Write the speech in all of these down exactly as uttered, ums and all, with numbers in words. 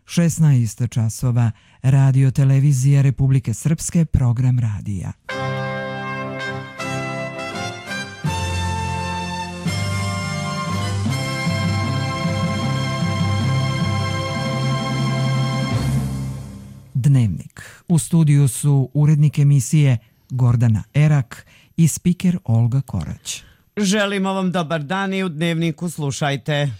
šesnaest časova, Radio Televizija Republike Srpske, program radija. Dnevnik. U studiju su urednik emisije Gordana Erak i spiker Olga Korać. Želimo vam dobar dan i u Dnevniku slušajte.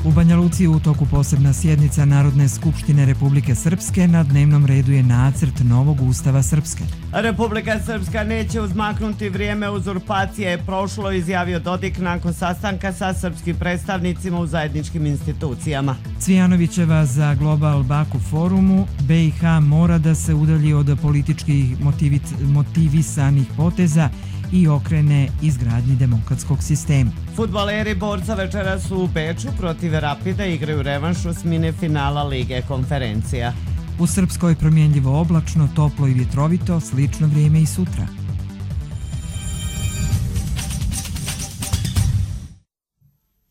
U Banja Luci u toku posebna sjednica Narodne skupštine Republike Srpske. Na dnevnom redu je nacrt novog Ustava Srpske. Republika Srpska neće uzmaknuti, vrijeme uzurpacije je prošlo, izjavio Dodik nakon sastanka sa srpskim predstavnicima u zajedničkim institucijama. Cvijanovićeva za Global Baku forumu: B i H mora da se udalji od političkih motivisanih poteza i okrene izgradnji demokratskog sistema. Fudbaleri Borca večera su u Beču protiv Rapida, igraju revanš osmine finala Lige konferencija. U Srpskoj promjenljivo oblačno, toplo i vjetrovito, slično vrijeme i sutra.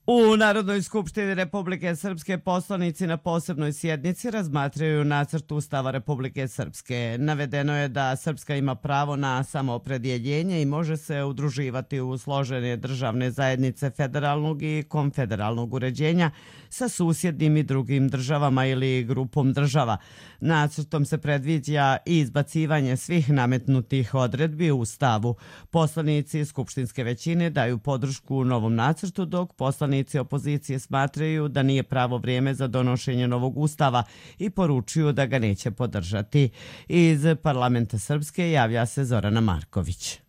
U Narodnoj skupštini Republike Srpske poslanici na posebnoj sjednici razmatraju nacrt Ustava Republike Srpske. Navedeno je da Srpska ima pravo na samoopredjeljenje i može se udruživati u složene državne zajednice federalnog i konfederalnog uređenja sa susjednim i drugim državama ili grupom država. Nacrtom se predviđa i izbacivanje svih nametnutih odredbi u Ustavu. Poslanici skupštinske većine daju podršku novom nacrtu, dok poslanici opozicije smatraju da nije pravo vrijeme za donošenje novog Ustava i poručuju da ga neće podržati. Iz parlamenta Srpske javlja se Zorana Marković.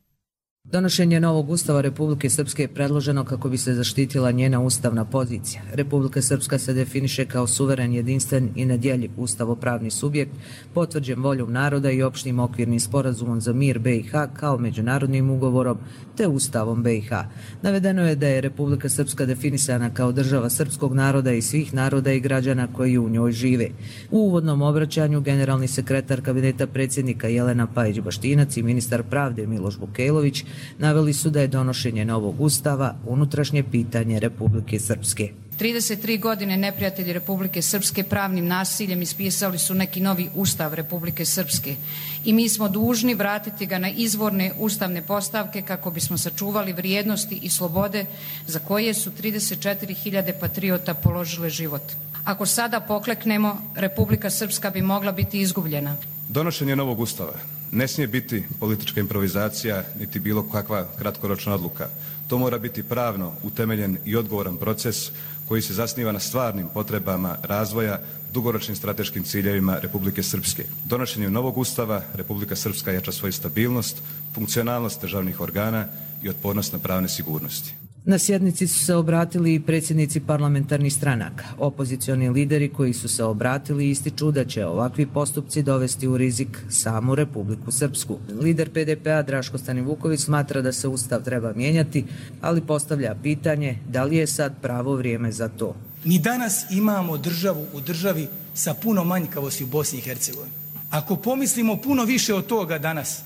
Donošenje novog Ustava Republike Srpske je predloženo kako bi se zaštitila njena ustavna pozicija. Republika Srpska se definiše kao suveren, jedinstven i nedjeljiv ustavopravni subjekt, potvrđen voljom naroda i opštim okvirnim sporazumom za mir B i H kao međunarodnim ugovorom te Ustavom B i H. Navedeno je da je Republika Srpska definisana kao država srpskog naroda i svih naroda i građana koji u njoj žive. U uvodnom obraćanju generalni sekretar kabineta predsjednika Jelena Pajić-Baštinac i ministar pravde Miloš Vukajlović naveli su da je donošenje novog ustava unutrašnje pitanje Republike Srpske. trideset tri godine neprijatelji Republike Srpske pravnim nasiljem ispisali su neki novi ustav Republike Srpske i mi smo dužni vratiti ga na izvorne ustavne postavke kako bismo sačuvali vrijednosti i slobode za koje su trideset četiri hiljade patriota položile život. Ako sada pokleknemo, Republika Srpska bi mogla biti izgubljena. Donošenje novog ustava ne smije biti politička improvizacija niti bilo kakva kratkoročna odluka. To mora biti pravno utemeljen i odgovoran proces koji se zasniva na stvarnim potrebama razvoja, dugoročnim strateškim ciljevima Republike Srpske. Donošenjem novog ustava Republika Srpska jača svoju stabilnost, funkcionalnost državnih organa i otpornost na pravne sigurnosti. Na sjednici su se obratili i predsjednici parlamentarnih stranaka. Opozicioni lideri koji su se obratili ističu da će ovakvi postupci dovesti u rizik samu Republiku Srpsku. Lider P D P-a Draško Stanivuković smatra da se ustav treba mijenjati, ali postavlja pitanje da li je sad pravo vrijeme za to. Mi danas imamo državu u državi sa puno manjkavosti u Bosni i Hercegovini. Ako pomislimo puno više od toga danas,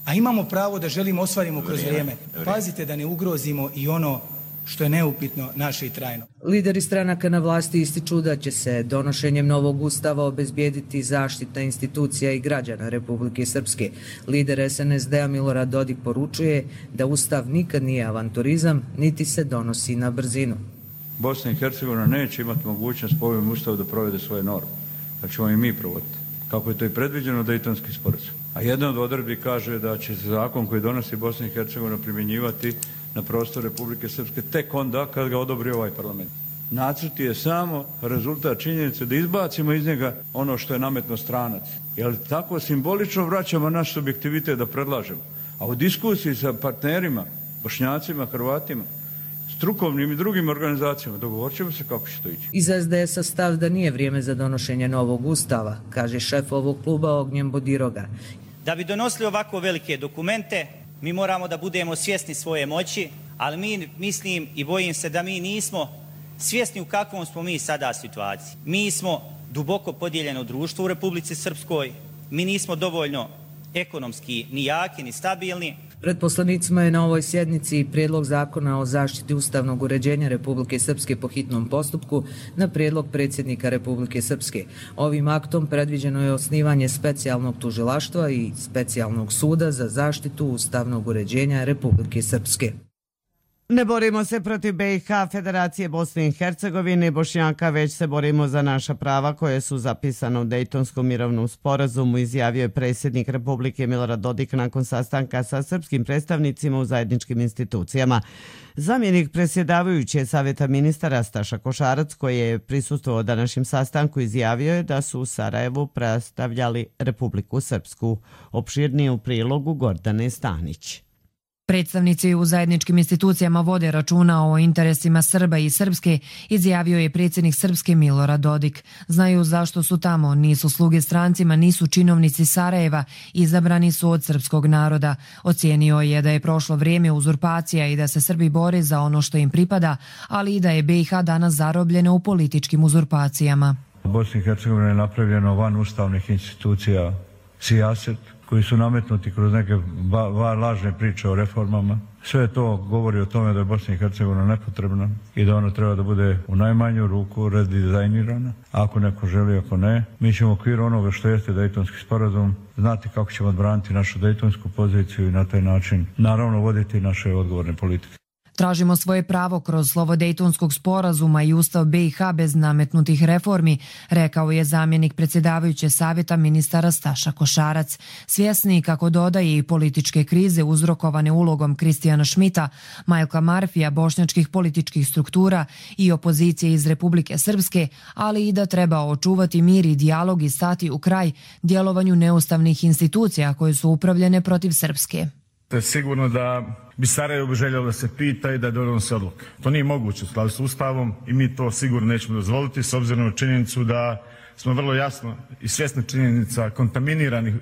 a imamo pravo da želimo ostvarimo kroz vrijeme, pazite da ne ugrozimo i ono što je neupitno naše i trajno. Lideri stranaka na vlasti ističu da će se donošenjem novog ustava obezbijediti zaštita institucija i građana Republike Srpske. Lider S N S D-a Milorad Dodik poručuje da ustav nikad nije avanturizam, niti se donosi na brzinu. Bosna i Hercegovina neće imati mogućnost po ovom ustavu da provede svoje norme, pa ćemo i mi provoditi, kako je to i predviđeno Dejtonski sporazum. A jedna od odredbi kaže da će se zakon koji donosi Bosna i Hercegovina primjenjivati na prostor Republike Srpske tek onda kad ga odobri ovaj parlament. Nacrt je samo rezultat činjenice da izbacimo iz njega ono što je nametno stranac. Jer tako simbolično vraćamo naš subjektivitet da predlažemo. A u diskusiji sa partnerima, Bošnjacima, Hrvatima, strukovnim i drugim organizacijama dogovorit ćemo se kako će to ići. Iz S D S-a stav da nije vrijeme za donošenje novog ustava, kaže šef ovog kluba Ognjen Bodiroga. Da bi donosili ovako velike dokumente, mi moramo da budemo svjesni svoje moći, ali mi mislim i bojim se da mi nismo svjesni u kakvom smo mi sada situaciji. Mi smo duboko podijeljeno društvo u Republici Srpskoj, mi nismo dovoljno ekonomski ni jaki ni stabilni, Pred poslanicima je na ovoj sjednici prijedlog zakona o zaštiti ustavnog uređenja Republike Srpske po hitnom postupku na prijedlog predsjednika Republike Srpske. Ovim aktom predviđeno je osnivanje specijalnog tužilaštva i specijalnog suda za zaštitu ustavnog uređenja Republike Srpske. Ne borimo se protiv B i H, Federacije Bosne i Hercegovine i Bošnjaka, već se borimo za naša prava koje su zapisane u Dejtonskom mirovnom sporazumu, izjavio je predsjednik Republike Milorad Dodik nakon sastanka sa srpskim predstavnicima u zajedničkim institucijama. Zamjenik predsjedavajuće Savjeta ministara Staša Košarac, koji je prisustvovao današnjem sastanku, izjavio je da su u Sarajevu predstavljali Republiku Srpsku. Opširnije u prilogu Gordane Stanić. Predstavnici u zajedničkim institucijama vode računa o interesima Srba i Srpske, izjavio je predsjednik Srpske Milorad Dodik. Znaju zašto su tamo, nisu sluge strancima, nisu činovnici Sarajeva, izabrani su od srpskog naroda. Ocijenio je da je prošlo vrijeme uzurpacija i da se Srbi bore za ono što im pripada, ali i da je B i H danas zarobljena u političkim uzurpacijama. U Bosni i Hercegovini je napravljeno van ustavnih institucija sijaset, koji su nametnuti kroz neke lažne priče o reformama. Sve to govori o tome da je Bosna i Hercegovina nepotrebna i da ona treba da bude u najmanju ruku redizajnirana. Ako neko želi, ako ne, mi ćemo u okviru onoga što jeste Dejtonski sporazum znati kako ćemo odbraniti našu dejtonsku poziciju i na taj način naravno voditi naše odgovorne politike. Tražimo svoje pravo kroz slovo Dejtonskog sporazuma i Ustav B i H bez nametnutih reformi, rekao je zamjenik predsjedavajuće Savjeta ministara Staša Košarac. Svjesni, kako dodaje, i političke krize uzrokovane ulogom Kristijana Šmita, Majlka Marfija, bošnjačkih političkih struktura i opozicije iz Republike Srpske, ali i da treba očuvati mir i dijalog i stati u kraj djelovanju neustavnih institucija koje su upravljene protiv Srpske. To je sigurno da bi Sarajevo željelo da se pita i da donose odluke. To nije moguće u skladu s Ustavom i mi to sigurno nećemo dozvoliti s obzirom na činjenicu da smo vrlo jasno i svjesni činjenica kontaminiranih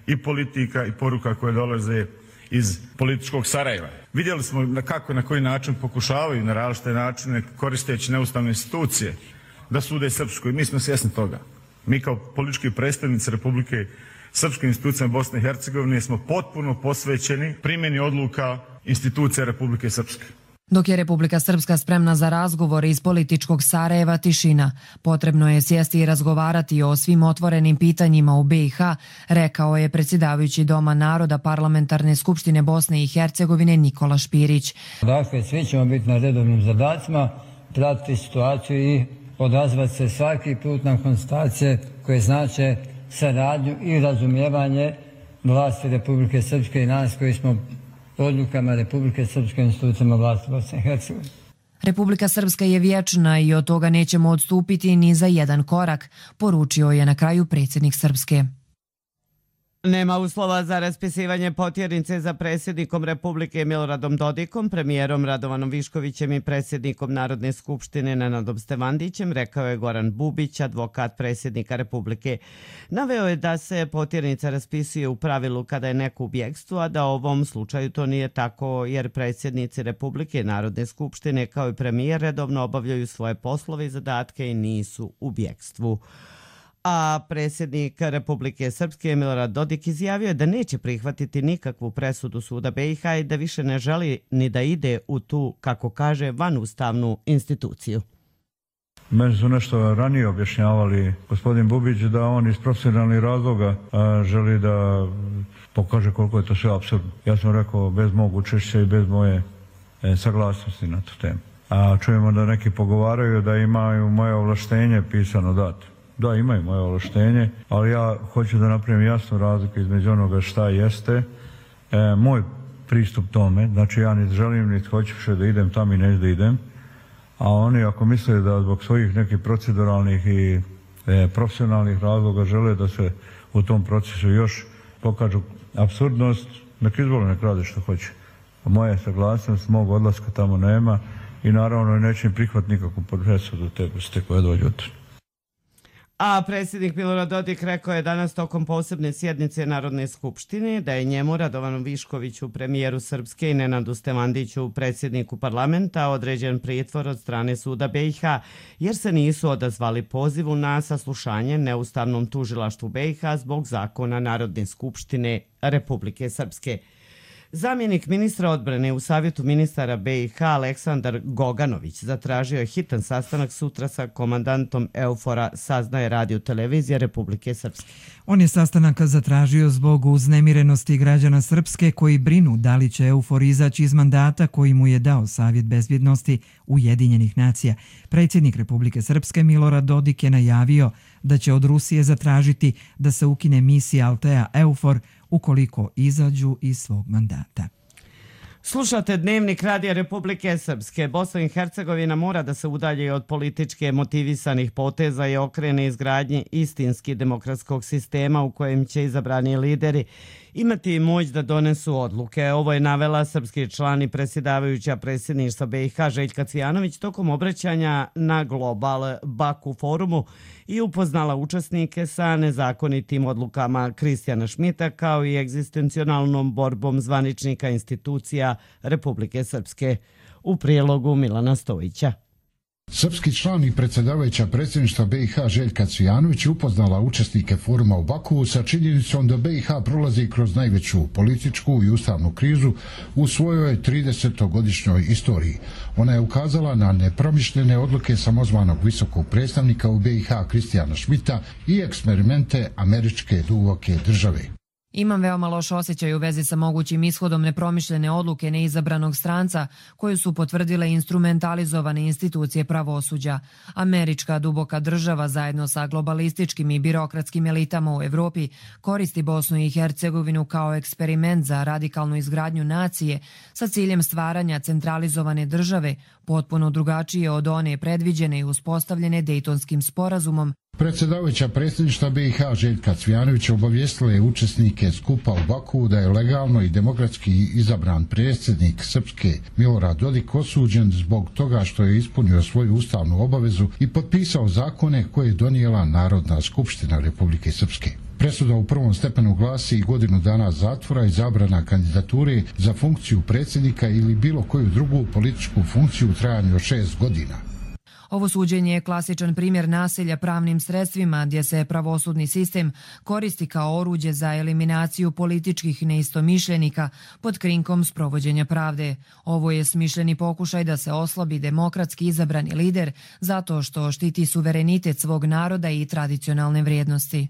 i politika i poruka koje dolaze iz političkog Sarajeva. Vidjeli smo na kako i na koji način pokušavaju na različite načine koristeći neustavne institucije da sude Srpskoj. Mi smo svjesni toga. Mi kao politički predstavnici Republike Srpske institucije Bosne i Hercegovine smo potpuno posvećeni primjeni odluka institucija Republike Srpske. Dok je Republika Srpska spremna za razgovor iz političkog Sarajeva, tišina. Potrebno je sjesti i razgovarati o svim otvorenim pitanjima u B i H, rekao je predsjedavajući Doma naroda Parlamentarne skupštine Bosne i Hercegovine Nikola Špirić. Dakle, svi ćemo biti na redovnim zadacima, pratiti situaciju i odazvati se svaki put na konstatacije koje znače saradnju i razumijevanje vlasti Republike Srpske i nas koji smo odlukama Republike Srpske institucijama vlasti Bosne i Hercegovine. Republika Srpska je vječna i od toga nećemo odstupiti ni za jedan korak, poručio je na kraju predsjednik Srpske. Nema uslova za raspisivanje potjernice za predsjednikom Republike Miloradom Dodikom, premijerom Radovanom Viškovićem i predsjednikom Narodne skupštine Nenadom Stevandićem, rekao je Goran Bubić, advokat predsjednika Republike. Naveo je da se potjernica raspisuje u pravilu kada je neko u bjegstvu, a da u ovom slučaju to nije tako jer predsjednici Republike i Narodne skupštine kao i premijer redovno obavljaju svoje poslove i zadatke i nisu u bjegstvu. A predsjednik Republike Srpske Milorad Dodik izjavio je da neće prihvatiti nikakvu presudu suda B i H i da više ne želi ni da ide u tu, kako kaže, vanustavnu instituciju. Meni su nešto ranije objašnjavali gospodin Bubić da on iz profesionalnih razloga a, želi da pokaže koliko je to sve apsurdno. Ja sam rekao bez mog učešća i bez moje e, saglasnosti na tu temu. A čujemo da neki pogovaraju da imaju moje ovlaštenje pisano dato. Da, imaju moje ovlaštenje, ali ja hoću da napravim jasnu razliku između onoga šta jeste e, moj pristup tome. Znači ja niti želim, niti hoću še da idem tamo i neću da idem. A oni ako misle da zbog svojih nekih proceduralnih i e, profesionalnih razloga žele da se u tom procesu još pokažu apsurdnost, nek izvole, nek rade što hoće. Moja saglasnost, mog odlaska tamo nema i naravno neće im prihvat nikakvu presudu te vrste koje dođu od. A predsjednik Milorad Dodik rekao je danas tokom posebne sjednice Narodne skupštine da je njemu, Radovanu Viškoviću, premijeru Srpske, i Nenadu Stevandiću, predsjedniku parlamenta, određen pritvor od strane suda B i H jer se nisu odazvali pozivu na saslušanje neustavnom tužilaštvu B i H zbog zakona Narodne skupštine Republike Srpske. Zamjenik ministra odbrane u Savjetu ministara B i H Aleksandar Goganović zatražio je hitan sastanak sutra sa komandantom EUFOR-a, saznaje Radio televizija Republike Srpske. On je sastanak zatražio zbog uznemirenosti građana Srpske koji brinu da li će EUFOR izaći iz mandata koji mu je dao Savjet bezbjednosti Ujedinjenih nacija. Predsjednik Republike Srpske Milorad Dodik je najavio da će od Rusije zatražiti da se ukine misija Altea EUFOR ukoliko izađu iz svog mandata. Slušate Dnevnik Radija Republike Srpske. Bosna i Hercegovina mora da se udalji od političke motivisanih poteza i okrene izgradnji istinski demokratskog sistema u kojem će izabrani lideri imati moć da donesu odluke. Ovo je navela srpski član i predsjedavajuća predsjedništva B i H Željka Cvijanović tokom obraćanja na Global Baku forumu i upoznala učesnike sa nezakonitim odlukama Kristijana Šmita kao i egzistencionalnom borbom zvaničnika institucija Republike Srpske. U prijelogu Milana Stojića. Srpski član i predsjedavajuća predsjedništva B i H Željka Cvijanović upoznala učesnike foruma u Baku sa činjenicom da B i H prolazi kroz najveću političku i ustavnu krizu u svojoj tridesetogodišnjoj istoriji. Ona je ukazala na nepromišljene odluke samozvanog visokog predstavnika u B i H Kristijana Šmita i eksperimente američke duboke države. Imam veoma loš osjećaj u vezi sa mogućim ishodom nepromišljene odluke neizabranog stranca koju su potvrdile instrumentalizovane institucije pravosuđa. Američka duboka država zajedno sa globalističkim i birokratskim elitama u Evropi koristi Bosnu i Hercegovinu kao eksperiment za radikalnu izgradnju nacije sa ciljem stvaranja centralizovane države potpuno drugačije od one predviđene i uspostavljene Dejtonskim sporazumom. Predsjedavajuća predsjedništva B i H Željka Cvijanovića obavijestila je učesnike skupa u Baku da je legalno i demokratski izabran predsjednik Srpske Milorad Dodik osuđen zbog toga što je ispunio svoju ustavnu obavezu i potpisao zakone koje je donijela Narodna skupština Republike Srpske. Presuda u prvom stepenu glasi godinu dana zatvora i zabrana kandidature za funkciju predsjednika ili bilo koju drugu političku funkciju u trajanju od šest godina. Ovo suđenje je klasičan primjer nasilja pravnim sredstvima gdje se pravosudni sistem koristi kao oruđe za eliminaciju političkih neistomišljenika pod krinkom sprovođenja pravde. Ovo je smišljeni pokušaj da se oslabi demokratski izabrani lider zato što štiti suverenitet svog naroda i tradicionalne vrijednosti.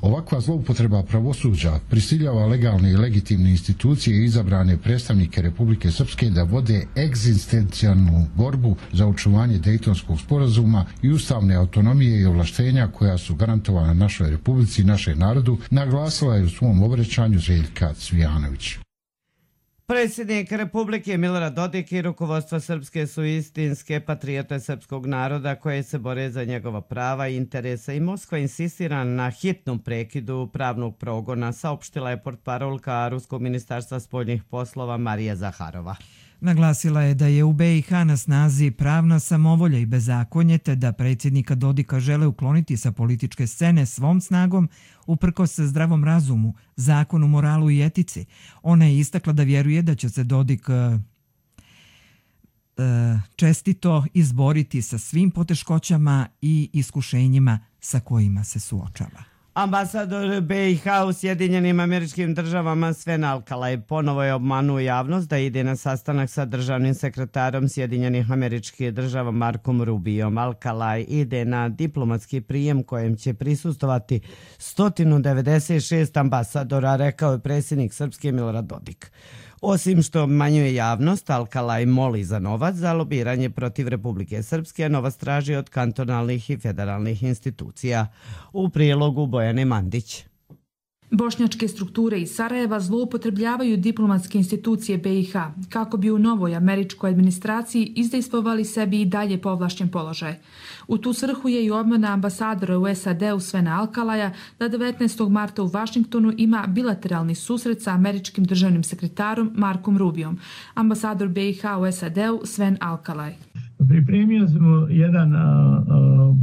Ovakva zloupotreba pravosuđa prisiljava legalne i legitimne institucije i izabrane predstavnike Republike Srpske da vode egzistencijalnu borbu za očuvanje Dejtonskog sporazuma i ustavne autonomije i ovlaštenja koja su garantovana našoj Republici i našem narodu, naglasila je u svom obraćanju Željka Cvijanović. Predsjednik Republike Milorad Dodik i rukovodstvo Srpske su istinske patriote srpskog naroda koje se bore za njegova prava i interese i Moskva insistira na hitnom prekidu pravnog progona, saopštila je portparolka Ruskog ministarstva spoljnih poslova Marija Zaharova. Naglasila je da je u B i H na snazi pravna samovolja i bezakonje te da predsjednika Dodika žele ukloniti sa političke scene svom snagom uprkos zdravom razumu, zakonu, moralu i etici. Ona je istakla da vjeruje da će se Dodik uh, čestito izboriti sa svim poteškoćama i iskušenjima sa kojima se suočava. Ambasador B i H u Sjedinjenim Američkim Državama Sven Alkalaj ponovo je obmanuo javnost da ide na sastanak sa državnim sekretarom Sjedinjenih Američkih Država Markom Rubijom. Alkalaj ide na diplomatski prijem kojem će prisustovati sto devedeset šest ambasadora, rekao je predsjednik Srpske Milorad Dodik. Osim što obmanjuje javnost, Alkalaj moli za novac za lobiranje protiv Republike Srpske, novac traži od kantonalnih i federalnih institucija. U prijelogu Bojane Mandić. Bošnjačke strukture iz Sarajeva zloupotrebljavaju diplomatske institucije B i H kako bi u novoj američkoj administraciji izdejstvovali sebi i dalje povlašćen položaj. U tu svrhu je i obmana ambasadora u S A D-u Svena Alkalaja da devetnaestog marta u Vašingtonu ima bilateralni susret sa američkim državnim sekretarom Markom Rubijom. Ambasador B i H u S A D-u Sven Alkalaj. Pripremio smo jedan, a, a,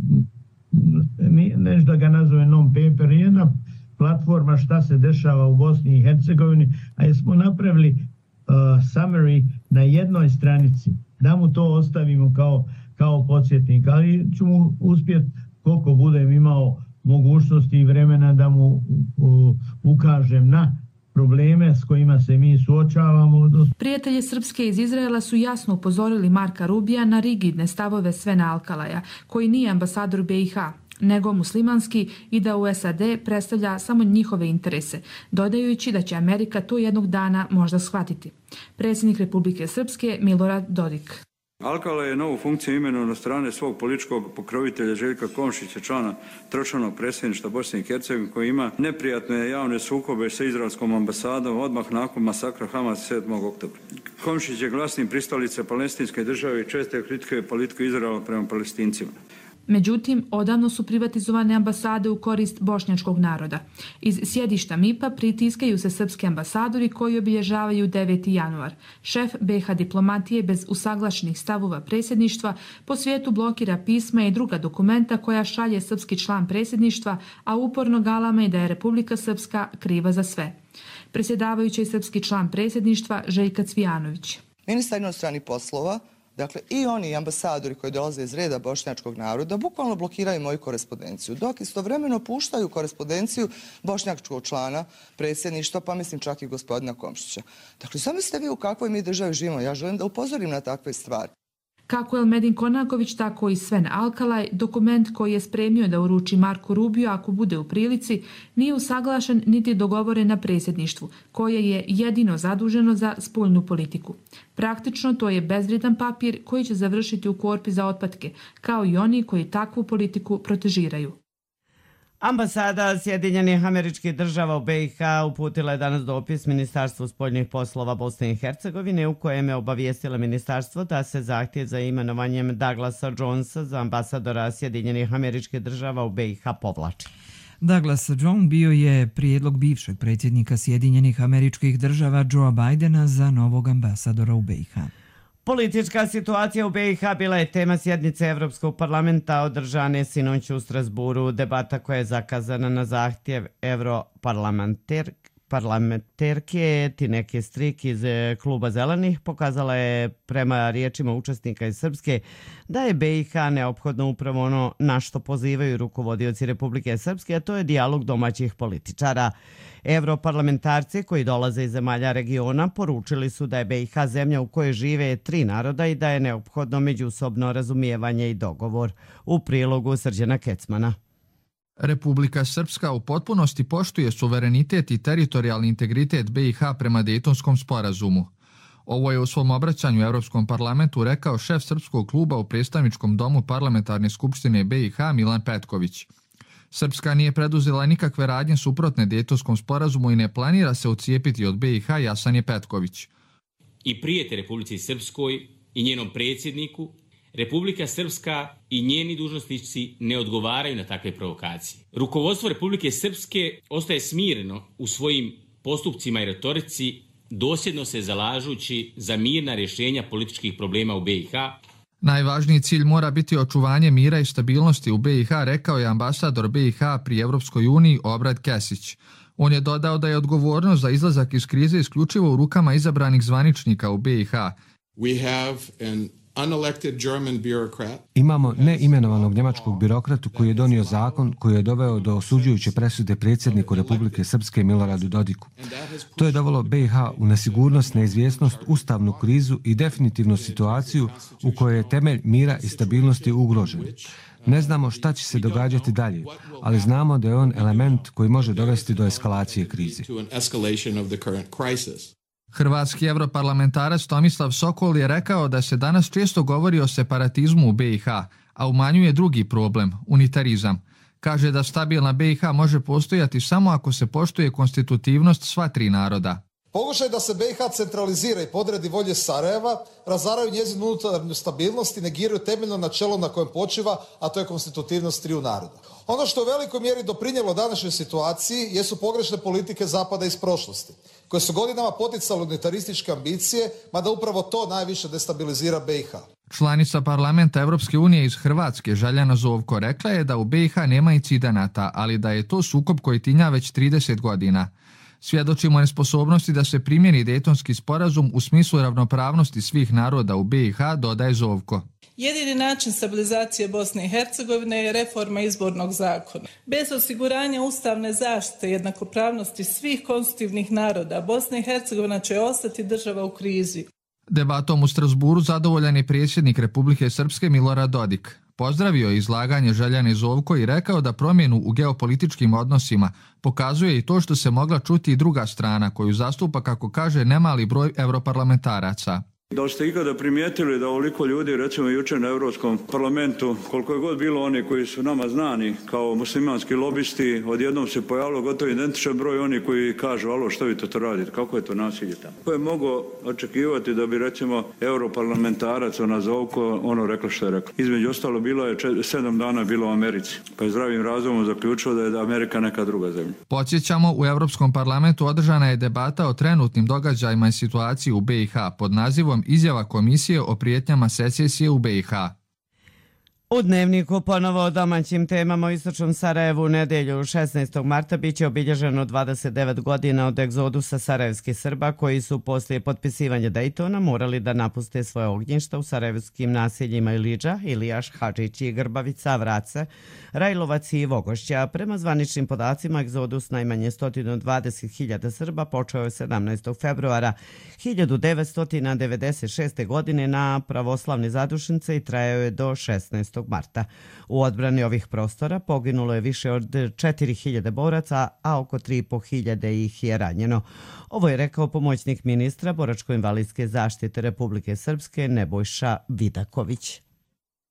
nešto da ga nazove non-paper, jedna platforma šta se dešava u Bosni i Hercegovini, a jesmo napravili uh, summary na jednoj stranici, da mu to ostavimo kao, kao podsjetnik, ali ću mu uspjeti koliko budem imao mogućnosti i vremena da mu uh, ukažem na probleme s kojima se mi suočavamo. Prijatelji Srpske iz Izraela su jasno upozorili Marka Rubija na rigidne stavove Svena Alkalaja, koji nije ambasador B i H, nego muslimanski i da u S A D predstavlja samo njihove interese, dodajući da će Amerika to jednog dana možda shvatiti. Predsjednik Republike Srpske Milorad Dodik. Alkala je novu funkciju imenovao na strane svog političkog pokrovitelja Željka Komšića, člana tročlanog predsjedništva Bosne i Hercegovine, koji ima neprijatne javne sukobe sa izraelskom ambasadom odmah nakon masakra Hamas sedmog oktobra. Komšić je glasni pristalica palestinske države i često kritikuje politiku Izraela prema Palestincima. Međutim, odavno su privatizovane ambasade u korist bošnjačkog naroda. Iz sjedišta M I P-a pritiskaju se srpski ambasadori koji obilježavaju deveti januar. Šef B i H diplomatije bez usaglašenih stavova predsjedništva po svijetu blokira pisma i druga dokumenta koja šalje srpski član predsjedništva, a uporno galame da je Republika Srpska kriva za sve. Predsjedavajući srpski član predsjedništva Željka Cvijanović. Ministar inostranih poslova, dakle i oni ambasadori koji dolaze iz reda bošnjačkog naroda, bukvalno blokiraju moju korespondenciju, dok istovremeno puštaju korespondenciju bošnjačkog člana predsjedništva, pa mislim čak i gospodina Komšića. Dakle, zamislite vi u kakvoj mi državi živimo. Ja želim da upozorim na takve stvari. Kako Elmedin Konaković, tako i Sven Alkalaj, dokument koji je spremio da uruči Marku Rubiju ako bude u prilici, nije usaglašen niti dogovoren na predsjedništvu, koje je jedino zaduženo za spoljnu politiku. Praktično to je bezvrijedan papir koji će završiti u korpi za otpadke, kao i oni koji takvu politiku protežiraju. Ambasada Sjedinjenih Američkih Država u B i H uputila je danas dopis Ministarstvu spoljnih poslova Bosne i Hercegovine u kojem je obavijestila ministarstvo da se zahtjev za imenovanjem Douglasa Jonesa za ambasadora Sjedinjenih Američkih Država u B i H povlači. Douglas Jones bio je prijedlog bivšeg predsjednika Sjedinjenih Američkih Država Joea Bidena za novog ambasadora u B i H. Politička situacija u B i H bila je tema sjednice Evropskog parlamenta održane sinoć u Strasburu. Debata koja je zakazana na zahtjev europarlamenterke Tineke Strik iz Kluba Zelenih pokazala je prema riječima učesnika iz Srpske da je B i H neophodno upravo ono na što pozivaju rukovodioci Republike Srpske, a to je dijalog domaćih političara. Europarlamentarci koji dolaze iz zemalja regiona poručili su da je B i H zemlja u kojoj žive tri naroda i da je neophodno međusobno razumijevanje i dogovor. U prilogu Srđana Kecmana. Republika Srpska u potpunosti poštuje suverenitet i teritorijalni integritet B i H prema Dejtonskom sporazumu. Ovo je u svom obraćanju u Europskom parlamentu rekao šef Srpskog kluba u predstavničkom domu Parlamentarne skupštine B i H Milan Petković. Srpska nije preduzela nikakve radnje suprotne Dejtonskom sporazumu i ne planira se odcijepiti od B i H, jasan je Petković. I prijete Republici Srpskoj i njenom predsjedniku, Republika Srpska i njeni dužnosnici ne odgovaraju na takve provokacije. Rukovodstvo Republike Srpske ostaje smireno u svojim postupcima i retorici, dosljedno se zalažući za mirna rješenja političkih problema u B i H. Najvažniji cilj mora biti očuvanje mira i stabilnosti u B i H, rekao je ambasador B i H pri Evropskoj uniji Obrad Kesić. On je dodao da je odgovornost za izlazak iz krize isključivo u rukama izabranih zvaničnika u B i H. We have an unelected German bureaucrat. Imamo neimenovanog njemačkog birokratu koji je donio zakon koji je doveo do osuđujuće presude predsjedniku Republike Srpske Miloradu Dodiku. To je dovelo B i H u nesigurnost, neizvjesnost, ustavnu krizu i definitivnu situaciju u kojoj je temelj mira i stabilnosti ugrožen. Ne znamo šta će se događati dalje, ali znamo da je on element koji može dovesti do eskalacije krize. Hrvatski europarlamentarac Tomislav Sokol je rekao da se danas često govori o separatizmu u B i H, a umanjuje drugi problem, unitarizam. Kaže da stabilna B i H može postojati samo ako se poštuje konstitutivnost sva tri naroda. Pokušaj da se B i H centralizira i podredi volje Sarajeva, razaraju njezinu unutarnju stabilnost i negiraju temeljno načelo na kojem počiva, a to je konstitutivnost triju naroda. Ono što u velikoj mjeri doprinijelo današnjoj situaciji jesu pogrešne politike Zapada iz prošlosti, koje su godinama poticale unitarističke ambicije, mada upravo to najviše destabilizira B i H. Članica parlamenta Evropske unije iz Hrvatske, Željana Zovko, rekla je da u B i H nema incidenata, ali da je to sukob koji tinja već trideset godina. Svjedočimo nesposobnosti da se primjeni Dejtonski sporazum u smislu ravnopravnosti svih naroda u B i H, dodaje Zovko. Jedini način stabilizacije Bosne i Hercegovine je reforma izbornog zakona. Bez osiguranja ustavne zaštite i jednakopravnosti svih konstitutivnih naroda, Bosna i Hercegovina će ostati država u krizi. Debatom u Strasburu zadovoljan je predsjednik Republike Srpske Milorad Dodik. Pozdravio je izlaganje Željane Zovko i rekao da promjenu u geopolitičkim odnosima pokazuje i to što se mogla čuti i druga strana koju zastupa, kako kaže, nemali broj europarlamentaraca. Da li ste ikada primijetili da ovoliko ljudi, recimo jučer na Europskom parlamentu, koliko je god bilo oni koji su nama znani kao muslimanski lobisti, odjednom se pojavilo gotovo identičan broj oni koji kažu alo, što vi to, to radite, kako je to nasilje tamo. Ko je mogao očekivati da bi recimo europarlamentarac ona Zovko ono rekla što je rekla. Između ostalo bilo je čet, sedam dana bilo u Americi, pa je zdravim razumom zaključio da je Amerika neka druga zemlja. Podsjećamo, u Europskom parlamentu održana je debata o trenutnim događajima i situaciji u B i H pod nazivom Izjava komisije o prijetnjama secesije u B i H. U Dnevniku ponovo o domaćim temama. U istočnom Sarajevu u nedjelju šesnaestog marta biće obilježeno dvadeset devet godina od egzodusa sarajevskih Srba koji su poslije potpisivanja Dejtona morali da napuste svoje ognjišta u sarajevskim naseljima Ilidža, Ilijaš, Hadžići, Grbavica, Vrace, Rajlovac i Vogošća. Prema zvaničnim podacima, egzodus najmanje sto dvadeset hiljada Srba počeo je sedamnaestog februara hiljadu devetsto devedeset šeste. godine na pravoslavne zadušnice i trajao je do šesnaestog marta. U odbrani ovih prostora poginulo je više od četiri hiljade boraca, a oko tri i po hiljade ih je ranjeno. Ovo je rekao pomoćnik ministra boračko-invalidske zaštite Republike Srpske Nebojša Vidaković.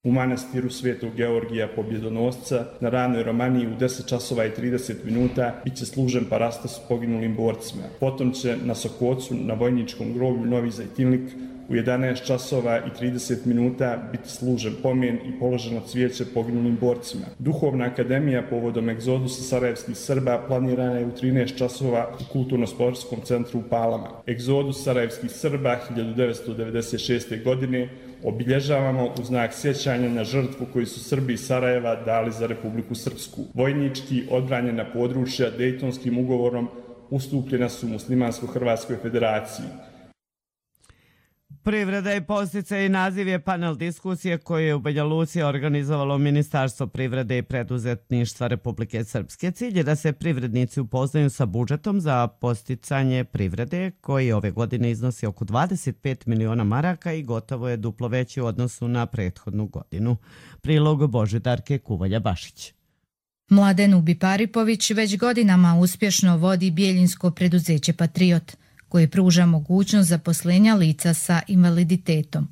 U manastiru Svetog Georgija Pobjedonosca na ranoj Romaniji u deset časova i trideset minuta bit će služen parastos poginulim borcima. Potom će na Sokocu na vojničkom groblju Novi Zajtinlik u jedanaest časova i trideset minuta biti služen pomen i položeno cvijeće poginulim borcima. Duhovna akademija povodom egzodusa sarajevskih Srba planirana je u trinaest časova u Kulturno-sportskom centru u Palama. Egzodus sarajevskih Srba hiljadu devetsto devedeset šeste. godine obilježavamo u znak sjećanja na žrtvu koju su Srbi iz Sarajeva dali za Republiku Srpsku. Vojnički odbranjena područja Dejtonskim ugovorom ustupljena su Muslimansko-Hrvatskoj federaciji. Privreda i podsticaj i naziv je panel diskusije koje je u Banja Luci organizovalo Ministarstvo privrede i preduzetništva Republike Srpske. Cilj je da se privrednici upoznaju sa budžetom za podsticanje privrede koji ove godine iznosi oko dvadeset pet miliona maraka i gotovo je duplo veći u odnosu na prethodnu godinu. Prilog Božidarke Kuvalja-Bašić. Mladen Ubiparipović već godinama uspješno vodi bijeljinsko preduzeće Patriot, koje pruža mogućnost zaposlenja lica sa invaliditetom.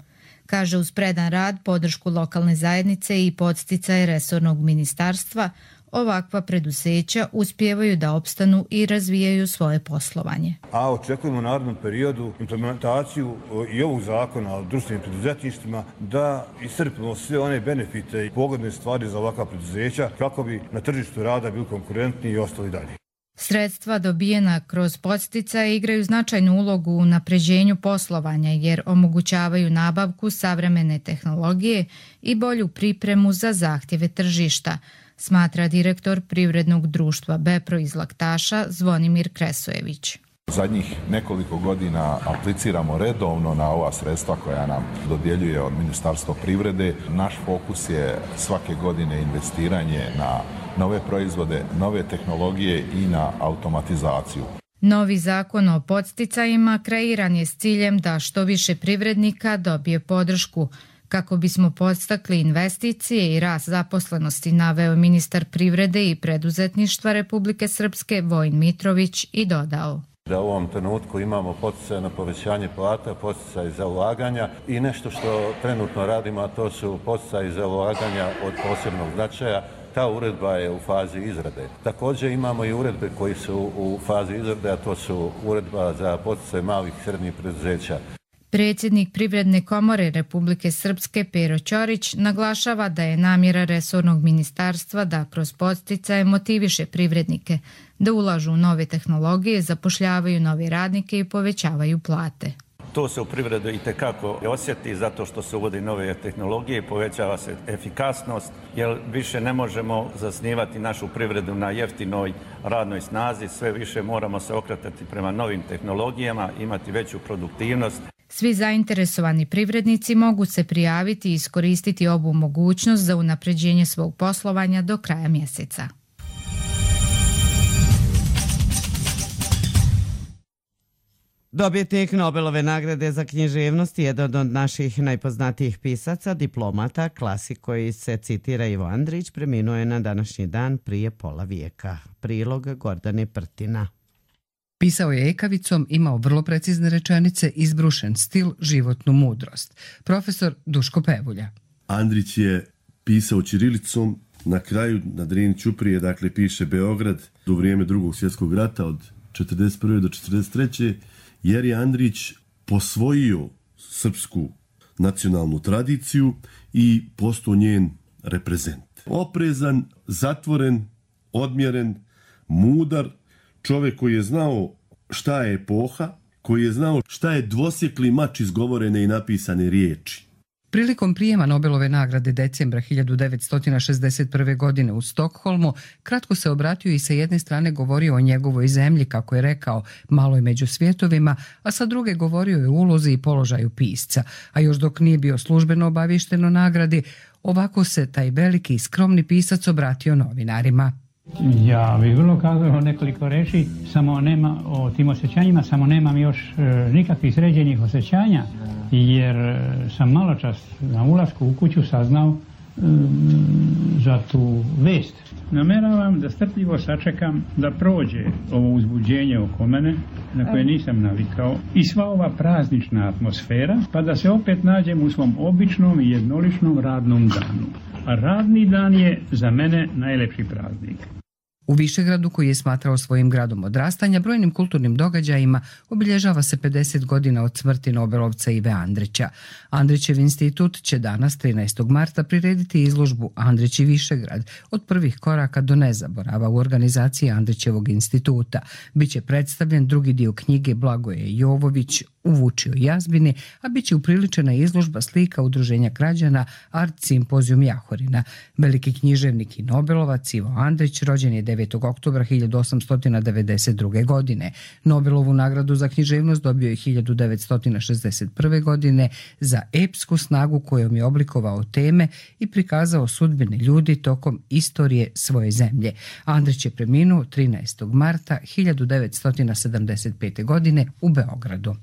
Kaže, uz predan rad, podršku lokalne zajednice i podsticaje resornog ministarstva, ovakva preduzeća uspijevaju da opstanu i razvijaju svoje poslovanje. A očekujemo u narednom periodu implementaciju i ovog zakona o društvenim preduzetništvima da iscrpimo sve one benefite i pogodne stvari za ovakva preduzeća kako bi na tržištu rada bili konkurentni i ostali dalje. Sredstva dobijena kroz podsticaje igraju značajnu ulogu u napređenju poslovanja jer omogućavaju nabavku savremene tehnologije i bolju pripremu za zahtjeve tržišta, smatra direktor privrednog društva Bepro iz Laktaša Zvonimir Kresojević. Zadnjih nekoliko godina apliciramo redovno na ova sredstva koja nam dodjeljuje od Ministarstva privrede. Naš fokus je svake godine investiranje na nove proizvode, nove tehnologije i na automatizaciju. Novi zakon o podsticajima kreiran je s ciljem da što više privrednika dobije podršku. Kako bismo podstakli investicije i rast zaposlenosti, naveo ministar privrede i preduzetništva Republike Srpske Vojin Mitrović i dodao. Da u ovom trenutku imamo poticaj na povećanje plata, poticaj za ulaganja i nešto što trenutno radimo, a to su poticaj za ulaganja od posebnog značaja. Ta uredba je u fazi izrade. Također imamo i uredbe koji su u fazi izrade, a to su uredba za poticaj malih i srednjih preduzeća. Predsjednik Privredne komore Republike Srpske Pero Ćorić naglašava da je namjera resornog ministarstva da kroz podsticaje motiviše privrednike, da ulažu u nove tehnologije, zapošljavaju nove radnike i povećavaju plate. To se u privredi itekako osjeti zato što se uvodi nove tehnologije, povećava se efikasnost, jer više ne možemo zasnivati našu privredu na jeftinoj radnoj snazi, sve više moramo se okretati prema novim tehnologijama, imati veću produktivnost. Svi zainteresovani privrednici mogu se prijaviti i iskoristiti ovu mogućnost za unapređenje svog poslovanja do kraja mjeseca. Dobitnik Nobelove nagrade za književnost je jedan od naših najpoznatijih pisaca, diplomata, klasik koji se citira Ivo Andrić, preminuo je na današnji dan prije pola vijeka. Prilog Gordane Prtina. Pisao je ekavicom, imao vrlo precizne rečenice, izbrušen stil, životnu mudrost. Profesor Duško Pevulja. Andrić je pisao ćirilicom, na kraju na Drini ćuprije, dakle piše Beograd do vrijeme drugog svjetskog rata od četrdeset prve do četrdeset treće jer je Andrić posvojio srpsku nacionalnu tradiciju i postao njen reprezent. Oprezan, zatvoren, odmjeren, mudar, čovjek koji je znao šta je epoha, koji je znao šta je dvosjekli mač izgovorene i napisane riječi. Prilikom prijema Nobelove nagrade decembra hiljadu devetsto šezdeset prve. godine u Stokholmu, kratko se obratio i sa jedne strane govorio o njegovoj zemlji, kako je rekao, maloj među svjetovima, a sa druge govorio je o ulozi i položaju pisca. A još dok nije bio službeno obaviješten o nagradi, ovako se taj veliki i skromni pisac obratio novinarima. Ja bih vrlo kazao nekoliko reči, samo nema o tim osjećanjima, samo nemam još e, nikakvih sređenih osjećanja, jer sam malo čas na ulasku u kuću saznao e, za tu vest. Nameravam da strpljivo sačekam da prođe ovo uzbuđenje oko mene, na koje nisam navikao, i sva ova praznična atmosfera, pa da se opet nađem u svom običnom i jednoličnom radnom danu. A radni dan je za mene najlepši praznik. U Višegradu, koji je smatrao svojim gradom odrastanja, brojnim kulturnim događajima obilježava se pedeset godina od smrti Nobelovca Ive Andrića. Andrićev institut će danas, trinaestog marta, prirediti izložbu Andrić i Višegrad, od prvih koraka do nezaborava u organizaciji Andrićevog instituta. Biće predstavljen drugi dio knjige Blagoje Jovović U Vučijoj jazbini, a bit će upriličena izložba slika Udruženja građana Art Simpozijum Jahorina. Veliki književnik i Nobelovac Ivo Andrić rođen je devetog oktobra hiljadu osamsto devedeset druge. godine. Nobelovu nagradu za književnost dobio je hiljadu devetsto šezdeset prve. godine za epsku snagu kojom je oblikovao teme i prikazao sudbine ljudi tokom istorije svoje zemlje. Andrić je preminuo trinaestog marta hiljadu devetsto sedamdeset pete. godine u Beogradu.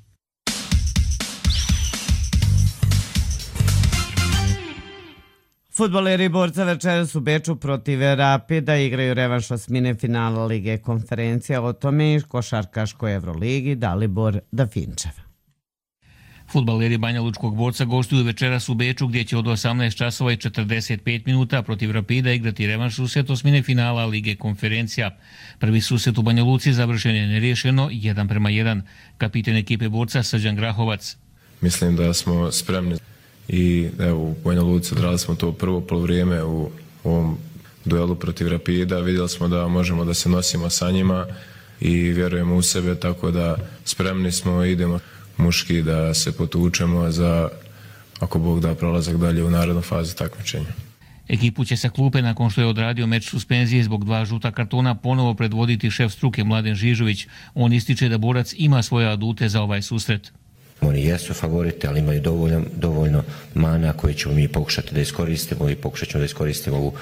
Fudbaleri Borca večeras u Beču protiv Rapida igraju revanš osmine finala Lige konferencija, o tome i košarkaškoj Evroligi Dalibor Dafinčev. Fudbaleri Banja Lučkog Borca gostuju večeras u Beču, gdje će od osamnaest časova i četrdeset pet minuta protiv Rapida igrati revanš susret osmine finala Lige konferencija. Prvi susret u Banja Luci završen je neriješeno jedan prema jedan. Kapiten ekipe Borca Srđan Grahovac. Mislim da smo spremni i evo, u Banja Luci odradili smo to prvo polovrijeme u ovom duelu protiv Rapida. Vidjeli smo da možemo da se nosimo sa njima i vjerujemo u sebe, tako da spremni smo, idemo muški da se potučemo za, ako Bog da, prolazak dalje u narednu fazu takmičenja. Ekipu će sa klupe, nakon što je odradio meč suspenzije zbog dva žuta kartona, ponovo predvoditi šef struke Mladen Žižović. On ističe da Borac ima svoje adute za ovaj susret. Oni jesu favoriti, ali imaju dovoljno, dovoljno mana koje ćemo mi pokušati da iskoristimo i pokušat ćemo da iskoristimo ovu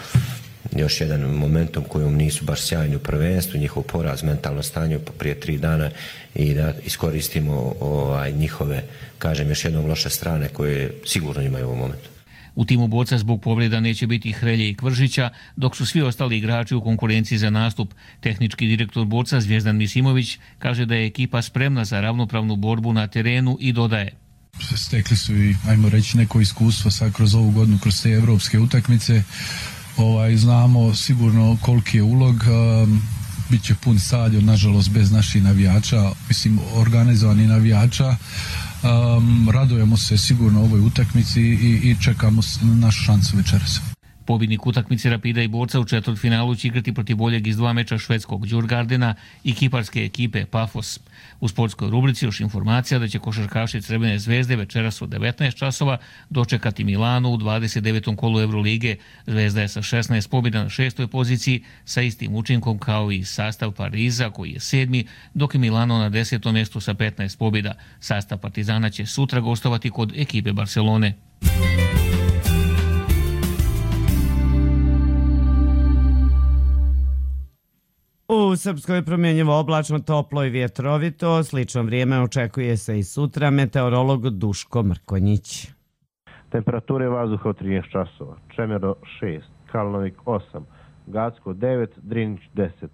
još jedan momentum kojom nisu baš sjajni u prvenstvu, njihov poraz, mentalno stanje prije tri dana i da iskoristimo ovaj, njihove, kažem, još jednom loše strane koje sigurno imaju u ovom momentu. U timu Borca zbog povreda neće biti Hrelje i Kvržića, dok su svi ostali igrači u konkurenciji za nastup. Tehnički direktor Borca Zvijezdan Misimović kaže da je ekipa spremna za ravnopravnu borbu na terenu i dodaje: Stekli su i, ajmo reći, neko iskustvo sad kroz ovu godinu, kroz te evropske utakmice. Ovaj, znamo sigurno koliki je ulog. Um, Biće pun stadion, nažalost bez naših navijača, mislim organizovanih navijača. Um, radujemo se sigurno ovoj utakmici i, i čekamo našu šansu večeras. Pobjednik utakmice Rapida i Borca u četvrtfinalu će igrati protiv boljeg iz dva meča švedskog Djurgardena i kiparske ekipe Pafos. U sportskoj rubrici još informacija da će košarkaši Crvene zvezde večeras u devetnaest časova dočekati Milanu u dvadeset devetom kolu Evrolige. Zvezda je sa šesnaest pobjeda na šestoj poziciji sa istim učinkom kao i sastav Pariza koji je sedmi, dok je Milano na desetom mjestu sa petnaest pobjeda. Sastav Partizana će sutra gostovati kod ekipe Barcelone. U Srpskoj je promjenjivo oblačno, toplo i vjetrovito. Slično vrijeme očekuje se i sutra. Meteorolog Duško Mrkonjić. Temperature vazduha od trinaest časova. Čemero šest, Kalnovik osam, Gacko devet, Drinić deset,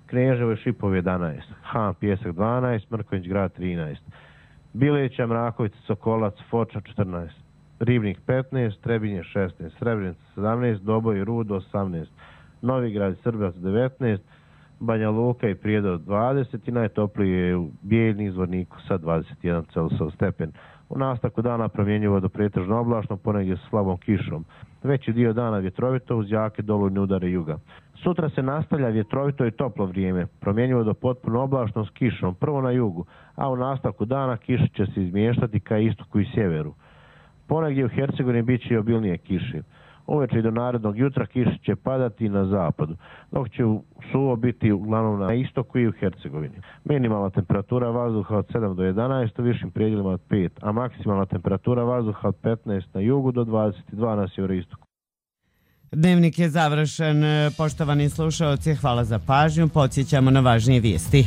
Kneževo i Šipov jedanaest, Han Pjesak dvanaest, Mrkonjić grad trinaest, Bileća, Mrakovica, Sokolac, Foča četrnaest, Ribnik petnaest, Trebinje šesnaest, Srebrenica sedamnaest, Doboj i Rudo osamnaest, Novigrad i Srbac devetnaest, Banja Luka i Prijedor dvadeset i najtoplije je u Bijeljni Zvorniku sa dvadeset jedan Celsijev stepen. U nastavku dana promjenjivo do pretežno oblačno, ponegdje sa slabom kišom. Veći dio dana vjetrovito uz jake dolujne udare juga. Sutra se nastavlja vjetrovito i toplo vrijeme, promjenjivo do potpuno oblačno s kišom, prvo na jugu, a u nastavku dana kiša će se izmještati ka istoku i sjeveru. Ponegdje u Hercegovini bit će i obilnije kiše. Uveče i do narednog jutra kiša će padati na zapadu, dok će suvo biti uglavnom na istoku i u Hercegovini. Minimalna temperatura vazduha od sedam do jedanaest, u višim predjelima od pet, a maksimalna temperatura vazduha od petnaest na jugu do dvadeset dva na sjeveroistoku. Dnevnik je završen. Poštovani slušaoci, hvala za pažnju. Podsjećamo na važnije vijesti.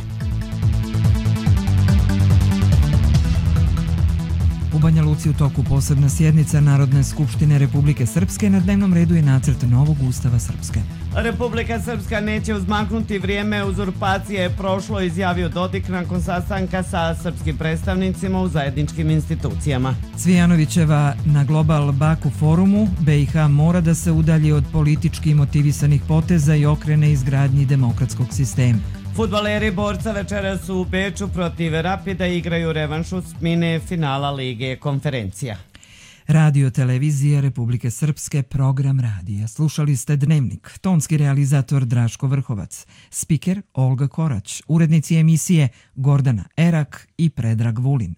U Banja Luci u toku posebna sjednica Narodne skupštine Republike Srpske, na dnevnom redu je nacrt novog ustava Srpske. Republika Srpska neće uzmaknuti vrijeme uzurpacije je prošlo, izjavio Dodik nakon sastanka sa srpskim predstavnicima u zajedničkim institucijama. Cvijanovićeva na Global Baku forumu, B i H mora da se udalji od politički motivisanih poteza i okrene izgradnji demokratskog sistema. Fudbaleri Borca večeras u Beču protiv Rapida igraju revanšu smine finala Lige konferencija. Radio televizija Republike Srpske, program radija. Slušali ste Dnevnik, tonski realizator Draško Vrhovac, spiker Olga Korać, urednici emisije Gordana Erak i Predrag Vulin.